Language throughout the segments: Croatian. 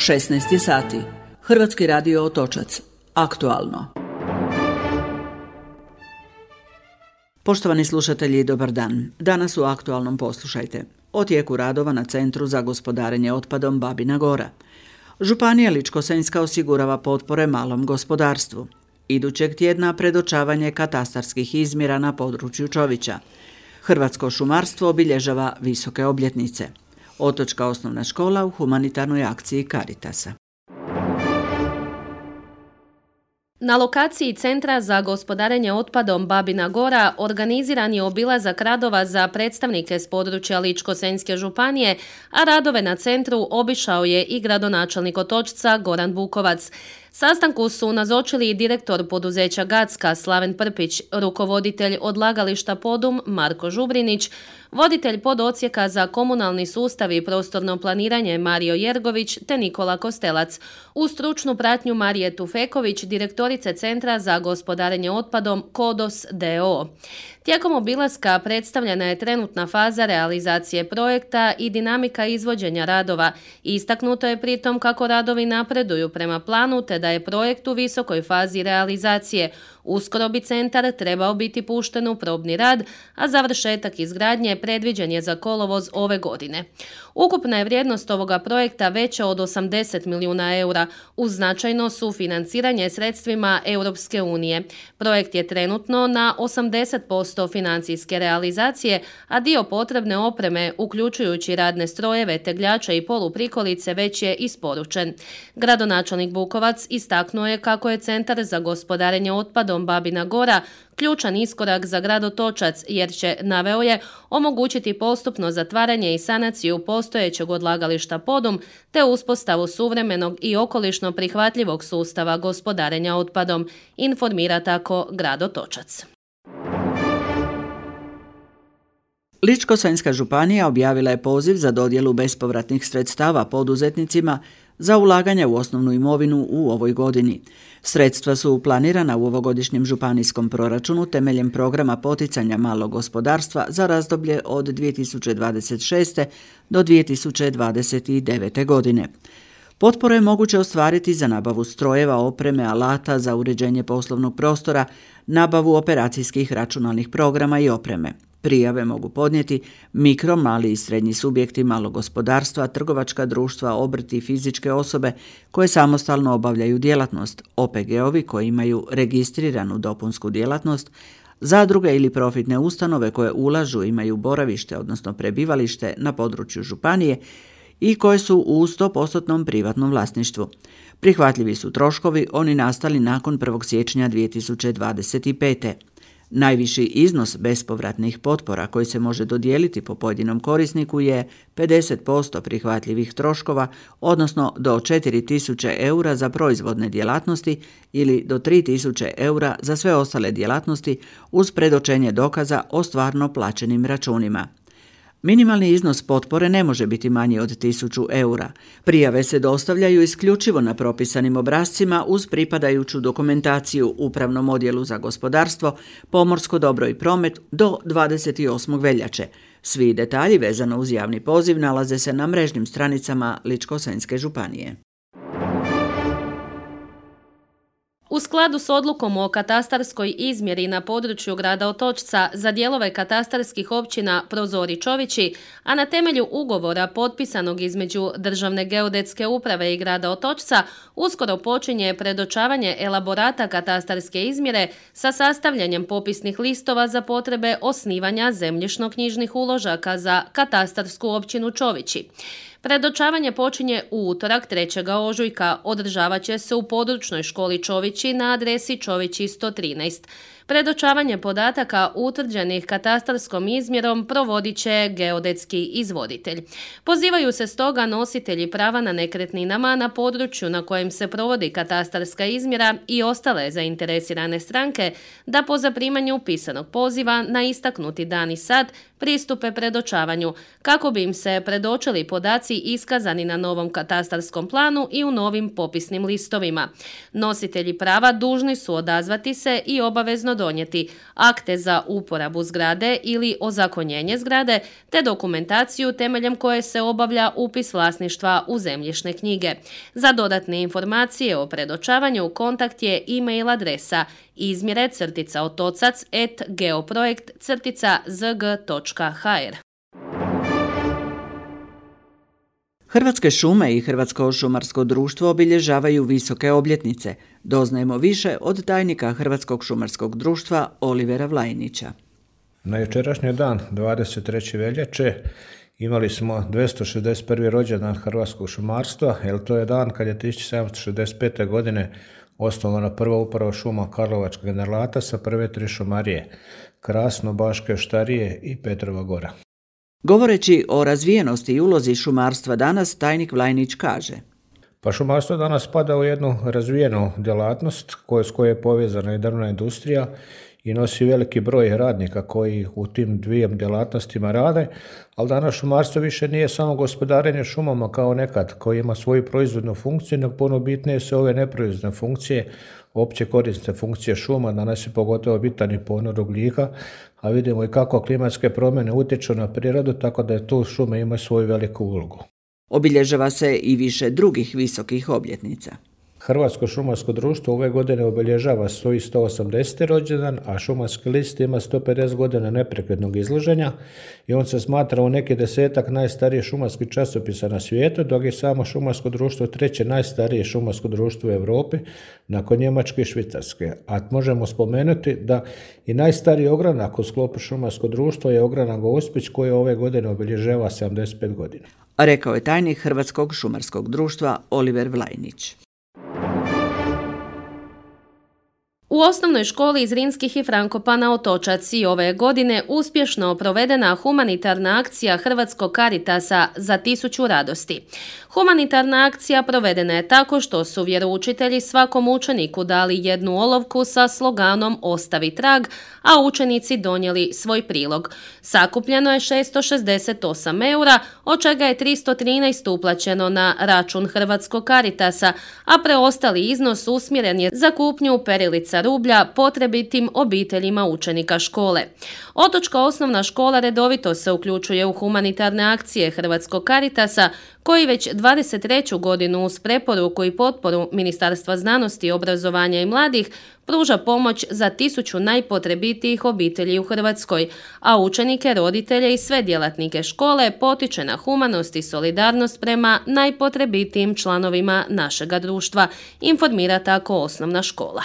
16 sati. Hrvatski radio Otočac. Aktualno. Poštovani slušatelji, dobar dan. Danas u Aktualnom poslušajte o tijeku radova na Centru za gospodarenje otpadom Babina Gora. Županija Ličko-senjska osigurava potpore malom gospodarstvu. Idućeg tjedna predočavanje katastarskih izmjera na području Čovića. Hrvatsko šumarstvo obilježava visoke obljetnice. Otočka osnovna škola u humanitarnoj akciji Caritasa. Na lokaciji Centra za gospodarenje otpadom Babina Gora organiziran je obilazak radova za predstavnike s područja Ličko-senjske županije, a radove na centru obišao je i gradonačelnik Otočca Goran Bukovac. Sastanku su nazočili i direktor poduzeća Gacka Slaven Prpić, rukovoditelj odlagališta Podum Marko Žubrinić, voditelj pododsjeka za komunalni sustav i prostorno planiranje Mario Jergović te Nikola Kostelac. U stručnu pratnju Marije Tufeković, direktorice Centra za gospodarenje otpadom KODOS d.o.o. Tijekom obilaska predstavljena je trenutna faza realizacije projekta i dinamika izvođenja radova. Istaknuto je pritom kako radovi napreduju prema planu te da je projekt u visokoj fazi realizacije. Uskoro bi centar trebao biti pušten u probni rad, a završetak izgradnje predviđen je za kolovoz ove godine. Ukupna je vrijednost ovoga projekta veća od 80 milijuna eura, uz značajno sufinanciranje sredstvima Europske unije. Projekt je trenutno na 80% financijske realizacije, a dio potrebne opreme, uključujući radne strojeve, tegljače i poluprikolice, već je isporučen. Gradonačelnik Bukovac istaknuo je kako je Centar za gospodarenje otpadom Babina Gora ključan iskorak za grad Otočac, jer će, naveo je, omogućiti postupno zatvaranje i sanaciju postojećeg odlagališta Podum te uspostavu suvremenog i okolišno prihvatljivog sustava gospodarenja otpadom, informira tako grad Otočac. Ličko-senjska županija objavila je poziv za dodjelu bespovratnih sredstava poduzetnicima za ulaganje u osnovnu imovinu u ovoj godini. Sredstva su planirana u ovogodišnjem županijskom proračunu temeljem programa poticanja malog gospodarstva za razdoblje od 2026. do 2029. godine. Potpore je moguće ostvariti za nabavu strojeva, opreme, alata za uređenje poslovnog prostora, nabavu operacijskih računalnih programa i opreme. Prijave mogu podnijeti mikro, mali i srednji subjekti malog gospodarstva, trgovačka društva, obrti i fizičke osobe koje samostalno obavljaju djelatnost, OPG-ovi koji imaju registriranu dopunsku djelatnost, zadruge ili profitne ustanove koje ulažu, imaju boravište, odnosno prebivalište na području županije i koje su u 100% privatnom vlasništvu. Prihvatljivi su troškovi oni nastali nakon 1. siječnja 2025. Najviši iznos bespovratnih potpora koji se može dodijeliti po pojedinom korisniku je 50% prihvatljivih troškova, odnosno do 4.000 eura za proizvodne djelatnosti ili do 3.000 eura za sve ostale djelatnosti uz predočenje dokaza o stvarno plaćenim računima. Minimalni iznos potpore ne može biti manji od 1.000 eura. Prijave se dostavljaju isključivo na propisanim obrascima uz pripadajuću dokumentaciju Upravnom odjelu za gospodarstvo, pomorsko dobro i promet do 28. veljače. Svi detalji vezano uz javni poziv nalaze se na mrežnim stranicama Ličko-senjske županije. U skladu s odlukom o katastarskoj izmjeri na području grada Otočca za dijelove katastarskih općina Prozor i Čovići, a na temelju ugovora potpisanog između Državne geodetske uprave i grada Otočca, uskoro počinje predočavanje elaborata katastarske izmjere sa sastavljanjem popisnih listova za potrebe osnivanja zemljišno-knjižnih uložaka za katastarsku općinu Čovići. Predočavanje počinje u utorak 3. ožujka, održavat će se u područnoj školi Čovići na adresi Čovići 113. Predočavanje podataka utvrđenih katastarskom izmjerom provodit će geodetski izvoditelj. Pozivaju se stoga nositelji prava na nekretninama na području na kojem se provodi katastarska izmjera i ostale zainteresirane stranke da po zaprimanju pisanog poziva na istaknuti dan i sat pristupe predočavanju kako bi im se predočili podaci podaci iskazani na novom katastarskom planu i u novim popisnim listovima. Nositelji prava dužni su odazvati se i obavezno donijeti akte za uporabu zgrade ili ozakonjenje zgrade, te dokumentaciju temeljem koje se obavlja upis vlasništva u zemljišne knjige. Za dodatne informacije o predočavanju kontakt je e-mail adresa izmjere-otocac@geoprojekt-zg.hr. Hrvatske šume i Hrvatsko šumarsko društvo obilježavaju visoke obljetnice. Doznajemo više od tajnika Hrvatskog šumarskog društva Olivera Vlajnića. Na jučerašnji dan, 23. veljače, imali smo 261. rođendan hrvatskog šumarstva, jer to je dan kad je 1765. godine osnovana prva uprava šuma Karlovačkog generalata sa prve 3 šumarije, Krasno, Baške, Štarije i Petrova Gora. Govoreći o razvijenosti i ulozi šumarstva danas, tajnik Vlajnić kaže: Pa šumarstvo danas spada u jednu razvijenu djelatnost s kojoj je povezana i drvna industrija i nosi veliki broj radnika koji u tim dvijem djelatnostima rade, ali danas šumarstvo više nije samo gospodarenje šumama kao nekad, koji ima svoju proizvodnu funkciju, nego puno bitnije su ove neproizvodne funkcije, opće korisne funkcije šuma. Danas je pogotovo bitan i ponor ugljika, a vidimo i kako klimatske promjene utječu na prirodu, tako da je tu šume imaju svoju veliku ulogu. Obilježava se i više drugih visokih obljetnica. Hrvatsko šumarsko društvo ove godine obilježava svoj 180. rođendan, a Šumarski list ima 150 godina neprekidnog izlaženja i on se smatra u neki 10-ak najstarijih šumarskih časopisa na svijetu, dok je samo šumarsko društvo 3. najstarije šumarsko društvo u Europi, nakon Njemačke i Švicarske. A možemo spomenuti da i najstariji ogranak u sklopu šumarskog društva je ogranak Gospić, koji ove godine obilježava 75 godina. Rekao je tajnik Hrvatskog šumarskog društva Oliver Vlajnić. U osnovnoj školi iz Zrinskih i Frankopana Otočac i ove godine uspješno provedena humanitarna akcija Hrvatskog Caritasa za 1000 radosti. Humanitarna akcija provedena je tako što su vjeroučitelji svakom učeniku dali jednu olovku sa sloganom Ostavi trag, a učenici donijeli svoj prilog. Sakupljeno je 668 eura, od čega je 313 uplaćeno na račun Hrvatskog Caritasa, a preostali iznos usmjeren je za kupnju perilica rublja potrebitim obiteljima učenika škole. Otočka osnovna škola redovito se uključuje u humanitarne akcije Hrvatskog Caritasa, koji već 23. godinu uz preporuku i potporu Ministarstva znanosti, obrazovanja i mladih pruža pomoć za 1000 najpotrebitijih obitelji u Hrvatskoj, a učenike, roditelje i sve djelatnike škole potiče na humanost i solidarnost prema najpotrebitijim članovima našega društva, informira tako osnovna škola.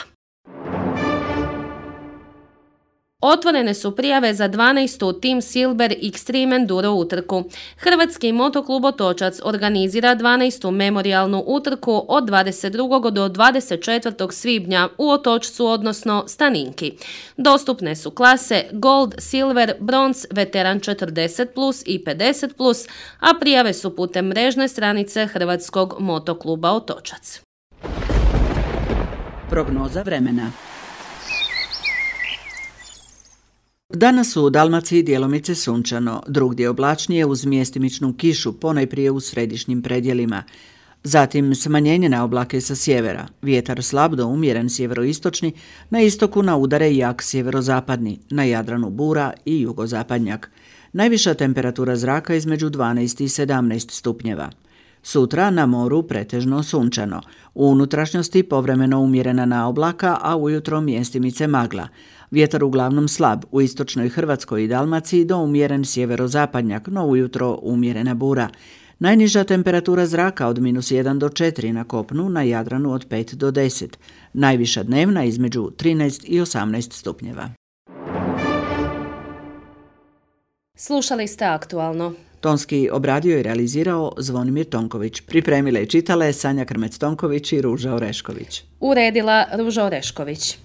Otvorene su prijave za 12. Team Silver Extreme Enduro utrku. Hrvatski motoklub Otočac organizira 12. memorijalnu utrku od 22. do 24. svibnja u Otočcu, odnosno Staninki. Dostupne su klase Gold, Silver, Bronz, Veteran 40+, i 50+, a prijave su putem mrežne stranice Hrvatskog motokluba Otočac. Prognoza vremena. Danas u Dalmaciji djelomice sunčano, drugdje oblačnije uz mjestimičnu kišu, ponajprije u središnjim predjelima. Zatim smanjenje na oblake sa sjevera, vjetar slab do umjeren sjeveroistočni, na istoku na udare jak sjeverozapadni, na Jadranu bura i jugozapadnjak. Najviša temperatura zraka između 12 i 17 stupnjeva. Sutra na moru pretežno sunčano, u unutrašnjosti povremeno umjerena na oblaka, a ujutro mjestimice magla. Vjetar uglavnom slab, u istočnoj Hrvatskoj i Dalmaciji do umjeren sjeverozapadnjak, no ujutro umjerena bura. Najniža temperatura zraka od -1 do 4 na kopnu, na Jadranu od 5 do 10. Najviša dnevna između 13 i 18 stupnjeva. Slušali ste Aktualno. Tonski obradio i realizirao Zvonimir Tonković. Pripremile i čitale Sanja Krmec-Tonković i Ruža Orešković. Uredila Ruža Orešković.